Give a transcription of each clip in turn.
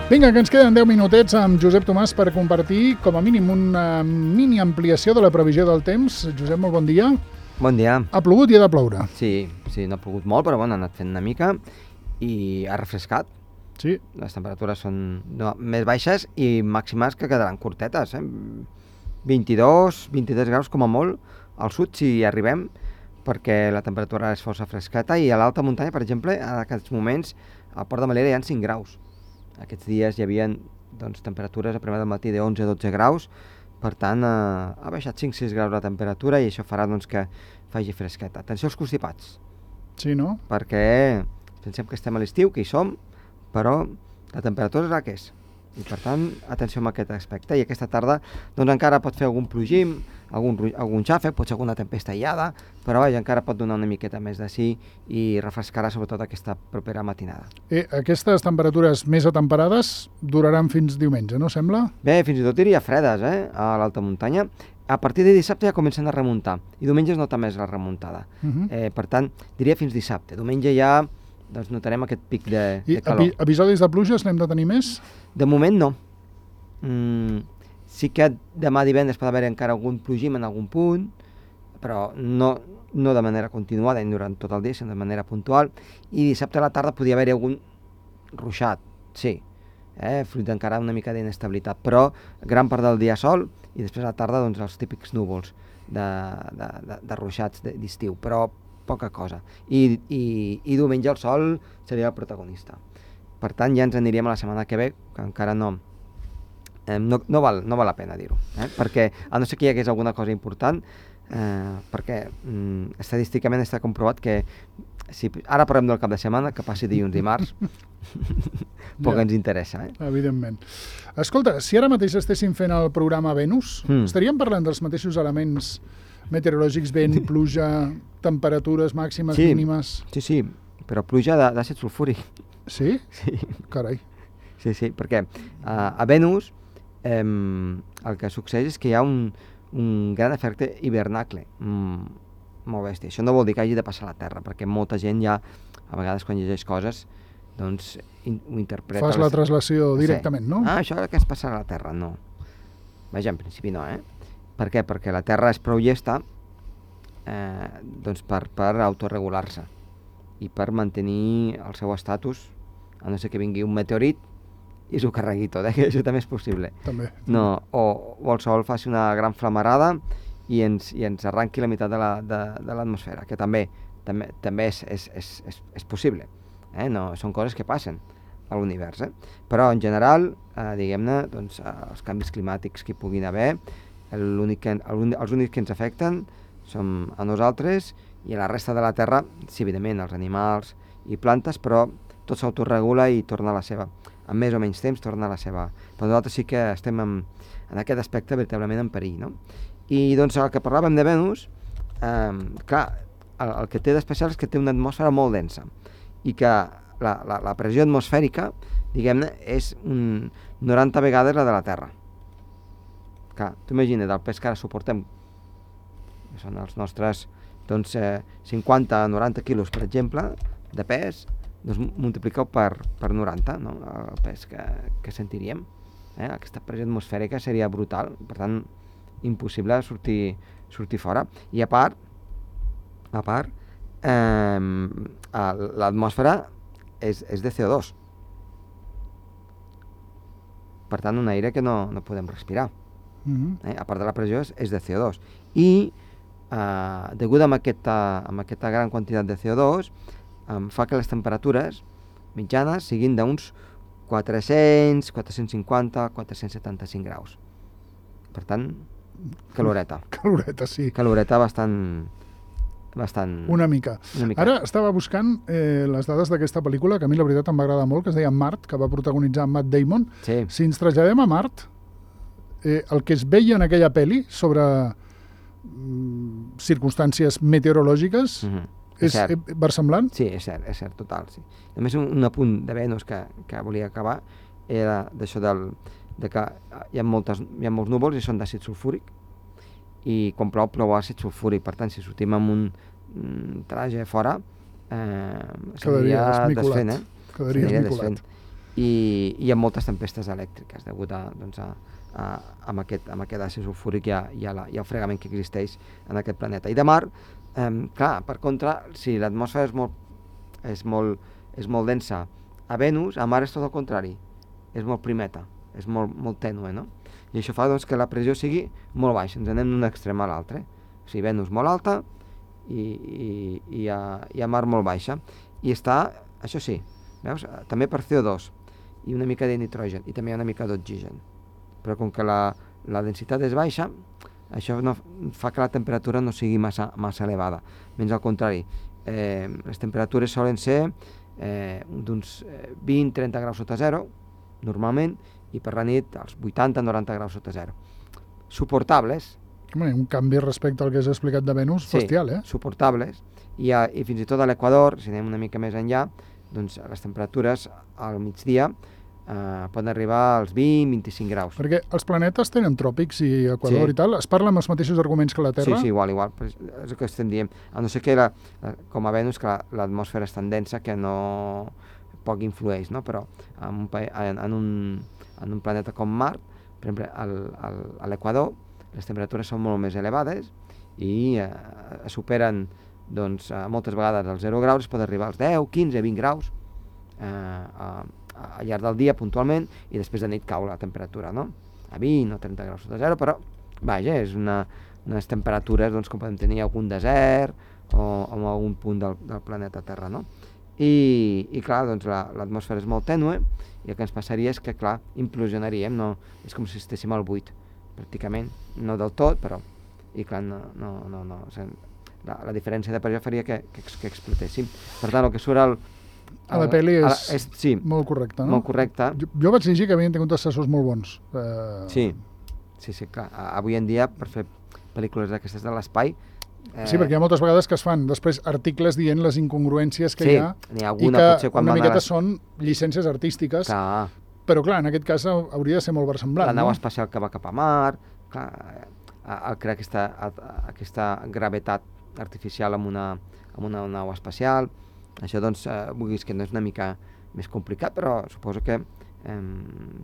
Vinga, que ens queden 10 minutets amb Josep Tomàs per compartir, com a mínim, una mini ampliació de la previsió del temps. Josep, molt bon dia. Bon dia. Ha plogut i ha de ploure. Sí, no ha plogut molt, però bueno, ha anat fent una mica i ha refrescat. Sí. Les temperatures són més baixes i màximes que quedaran curtetes, 22 graus com a molt al sud si hi arribem, perquè la temperatura és força fresqueta, i a l'alta muntanya, per exemple, en aquests moments al Port de Melera hi ha 5 graus. Aquests dies hi havia temperatures a primera del matí de 11-12 graus, per tant ha baixat 5-6 graus la temperatura i això farà que faci fresqueta. Atenció als constipats. Sí, no? Perquè pensem que estem a l'estiu, que hi som, però la temperatura és la que és. I per tant, atenció amb aquest aspecte. I aquesta tarda encara pot fer algun plogim, algun xàfec, pot ser alguna tempesta aïllada, però encara pot donar una miqueta més de sí i refrescarà sobretot aquesta propera matinada. Aquestes temperatures més atemperades duraran fins diumenge, no sembla? Bé, fins i tot diria fredes, a l'alta muntanya. A partir de dissabte ja comencen a remuntar, i diumenge es nota més la remuntada. Per tant, diria fins dissabte. Diumenge ja notarem aquest pic de calor. I episodis de pluges n'hem de tenir més? De moment no. Sí que demà divendres pot haver encara algun plogim en algun punt, però no de manera continuada ni durant tot el dia, sinó de manera puntual, i dissabte a la tarda podria haver ruixat, sí, fruit encara una mica d'inestabilitat, però gran part del dia sol i després a la tarda els típics núvols de ruixats d'estiu, però poca cosa. I diumenge el sol seria el protagonista. Per tant, ja ens aniríem a la setmana que ve, que encara no val la pena dir-ho, perquè a no ser que hi hagués alguna cosa important, perquè estadísticament està comprovat que si ara parlem del cap de setmana, que passi dilluns i dimarts, poc ens interessa. Evidentment. Escolta, si ara mateix estéssim fent el programa Venus, estaríem parlant dels mateixos elements meteorològics, vent, pluja, temperatures màximes, mínimes... Sí, però pluja d'àcid sulfúric. Sí? Sí. Carai. Sí, perquè a Venus el que succeeix és que hi ha un gran efecte hivernacle, molt bèstia. Això no vol dir que hagi de passar a la Terra, perquè molta gent ja, a vegades quan llegeix coses, ho interpreta... Fas la translació directament, no? Això que es passarà a la Terra, no. Vaja, en principi no, Per què? Perquè la Terra és prou llesta per autoregular-se i per mantenir el seu estatus, a no ser que vingui un meteorit i s'ho carregui tot, que això també és possible. També. No, o el Sol faci una gran flamarada i ens arranqui la meitat de l'atmosfera, que també és possible. No, són coses que passen a l'univers. Però en general, diguem-ne, els canvis climàtics que hi puguin haver, els únics que ens afecten som a nosaltres i a la resta de la Terra, sí, evidentment, els animals i plantes, però tot s'autoregula i torna a la seva, en més o menys temps, torna a la seva. Però nosaltres sí que estem en aquest aspecte veritablement en perill, no? I el que parlàvem de Venus, clar, el que té d'especial és que té una atmosfera molt densa i que la pressió atmosfèrica, diguem-ne, és 90 vegades la de la Terra. Clar, tu imagina't el pes que ara suportem, que són els nostres 50-90 quilos, per exemple, de pes, multipliqueu per 90, no? El pes que sentiríem. Aquesta pressió atmosfèrica seria brutal, per tant, impossible sortir fora. I a part, l'atmosfera és de CO2. Per tant, un aire que no podem respirar. A part de la pressió és de CO2. I degut a aquesta gran quantitat de CO2 fa que les temperatures mitjanes siguin d'uns 400, 450, 475 graus. Per tant, caloreta. Caloreta, sí. Caloreta bastant... Una mica. Ara estava buscant les dades d'aquesta pel·lícula, que a mi la veritat em va agradar molt, que es deia Mart, que va protagonitzar Matt Damon. Sí. Si ens traslladem a Mart, el que es veia en aquella pel·li sobre circumstàncies meteorològiques és versemblant? Sí, és cert, total. Sí. Només un apunt de Venus que volia acabar era d'això de que hi ha molts núvols i són d'àcid sulfúric, i quan plou àcid sulfúric. Per tant, si sortim amb un traje fora, seria desfent. Quedaria desmicolat. i hi ha moltes tempestes elèctriques degut amb aquest àcid sulfúric i al fregament que existeix en aquest planeta. I de mar, clar, per contra, si l'atmosfera és molt densa a Venus, a Mart és tot el contrari, és molt primeta, és molt tènue, no? I això fa doncs, que la pressió sigui molt baixa, ens anem d'un extrem a l'altre. O sigui, Venus molt alta i a Mart molt baixa. I està, això sí, veus, també per CO2 i una mica de nitrogen i també hi ha una mica d'oxigen. Però com que la densitat és baixa, això no fa que la temperatura no sigui massa elevada. Menys al contrari, les temperatures solen ser d'uns 20-30 graus sota zero, normalment, i per la nit als 80-90 graus sota zero. Suportables. Un canvi respecte al que has explicat de Venus, bestial, Sí, suportables. I fins i tot a l'Equador, si anem una mica més enllà, doncs les temperatures al migdia poden arribar als 20-25 graus. Perquè els planetes tenen tròpics i Equador i tal, es parla amb els mateixos arguments que la Terra? Sí, igual, és el que estem dient. A no ser que, com a Venus, que l'atmosfera és tan densa que no poc influeix, no? Però en un planeta com Mart, per exemple, a l'Equador, les temperatures són molt més elevades i superen moltes vegades els 0 graus, es pot arribar als 10, 15, 20 graus al llarg del dia puntualment, i després de nit cau la temperatura, no? A 20 o 30 graus sota zero, però vaja, és unes temperatures com podem tenir a algun desert o en algun punt del planeta Terra, no? I clar, doncs l'atmosfera és molt tènue i el que ens passaria és que, clar, implosionaríem, no? És com si estéssim al buit, pràcticament, no del tot, però, i clar, no. La diferència de pressió faria que explotéssim. Per tant, el que surt a la pel·li és molt correcte, no? Molt correcte. Jo vaig llegir que havien tingut assessors molt bons. Sí, clar. Avui en dia, per fer pel·lícules d'aquestes de l'espai... Sí, perquè hi ha moltes vegades que es fan després articles dient les incongruències que hi ha, n'hi ha alguna, i que una miqueta són llicències artístiques, però clar, en aquest cas hauria de ser molt versemblant. La nau espacial que va cap a Mart, clar, al crear aquesta gravetat artificial amb una nau espacial, això doncs vulguis que no és una mica més complicat, però suposo que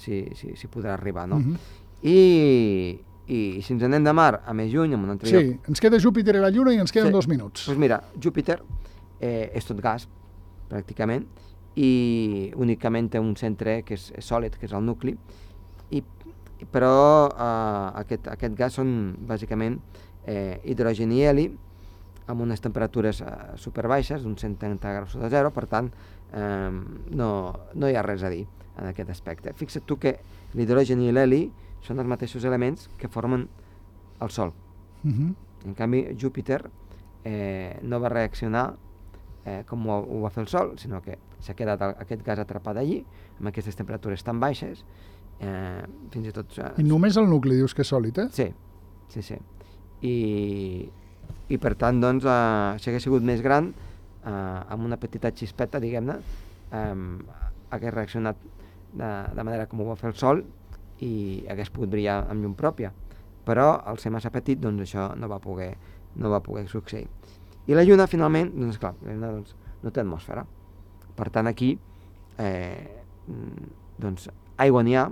s'hi podrà arribar, no? I si ens anem de Mart a més lluny, en un altre lloc... Sí, ens queda Júpiter i la Lluna i ens queden 2 minuts. Doncs mira, Júpiter és tot gas, pràcticament, i únicament té un centre que és sòlid, que és el nucli, però aquest gas són bàsicament hidrogen i heli, amb unes temperatures superbaixes, d'uns 130 graus sota zero, per tant, no hi ha res a dir en aquest aspecte. Fixa't tu que l'hidrogen i l'heli són els mateixos elements que formen el Sol. En canvi, Júpiter no va reaccionar com ho va fer el Sol, sinó que s'ha quedat aquest gas atrapat allí, amb aquestes temperatures tan baixes, fins i tot... I només el nucli dius que és sòlid, eh? Sí. I per tant, doncs, si hagués sigut més gran, amb una petita xispeta, diguem-ne, hagués reaccionat de manera com ho va fer el Sol i hagués pogut brillar amb llum pròpia. Però al ser massa petit, doncs això no va poder succeir. I la Lluna, finalment, doncs clar, la Lluna no té atmosfera. Per tant, aquí, doncs, aigua n'hi ha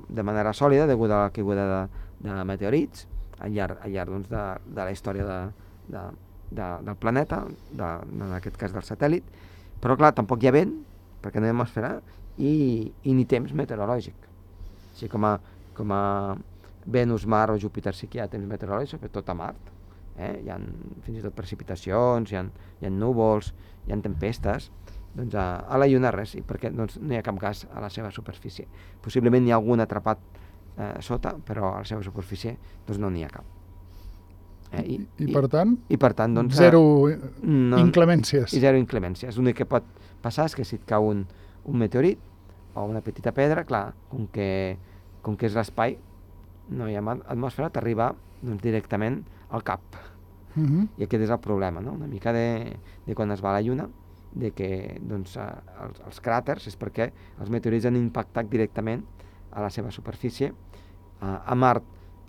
de manera sòlida, degut a la caiguda de meteorits, al llarg doncs, de la història del planeta, en aquest cas del satèl·lit, però clar, tampoc hi ha vent, perquè no hi ha atmosfera, i ni temps meteorològic. Així com a Venus, Mart o Júpiter sí que hi ha temps meteorològic, sobretot a Mart. Hi ha fins i tot precipitacions, hi ha núvols, hi ha tempestes. Doncs a la Lluna res, perquè doncs, no hi ha cap gas a la seva superfície. Possiblement n'hi ha algun atrapat sota, però a la seva superfície doncs no n'hi ha cap. I per tant, doncs, zero inclemències. I zero inclemències. L'únic que pot passar és que si et cau un meteorit o una petita pedra, clar, com que és l'espai, no hi ha atmosfera, t'arriba doncs, directament al cap. I aquest és el problema, no? Una mica de quan es va a la Lluna, de que doncs, els cràters és perquè els meteorits han impactat directament a la seva superfície. A Mart,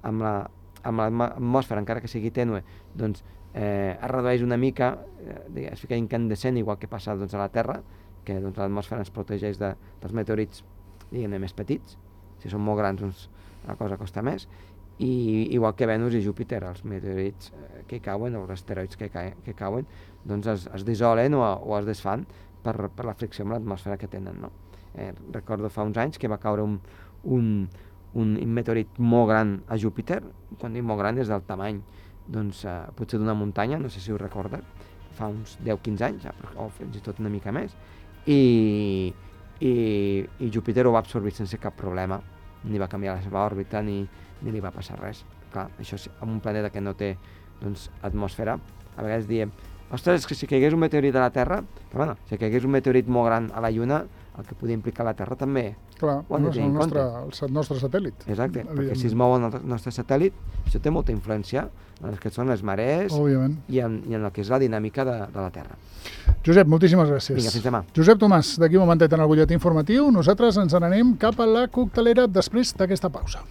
amb l'atmosfera, encara que sigui tènue, doncs es redueix una mica, es fica incandescent, igual que passa doncs, a la Terra, perquè doncs, l'atmosfera ens protegeix dels meteorits, diguem-ne, més petits. Si són molt grans, doncs la cosa costa més. I igual que Venus i Júpiter, els meteorits que cauen, o els asteroids que cauen, doncs es dissolen o es desfan per la fricció amb l'atmosfera que tenen, no? Recordo fa uns anys que va caure un meteorit molt gran a Júpiter. Quan dic molt gran és del tamany, doncs, potser d'una muntanya, no sé si ho recordes, fa uns 10-15 anys, o fins i tot una mica més, i Júpiter ho va absorbir sense cap problema, ni va canviar la seva òrbita ni li va passar res. Clar, això en un planeta que no té doncs, atmosfera, a vegades diem, ostres, és que si caigués un meteorit a la Terra, però bueno, si caigués un meteorit molt gran a la Lluna, el que podia implicar la Terra també clar, ho hem de tenir en compte. El nostre satèl·lit. Exacte, perquè si es mou el nostre satèl·lit, això té molta influència en el que són les marees i en el que és la dinàmica de la Terra. Josep, moltíssimes gràcies. Vinga, fins demà. Josep Tomàs, d'aquí un momentet en el butlletí informatiu, nosaltres ens n'anem cap a la coctelera després d'aquesta pausa.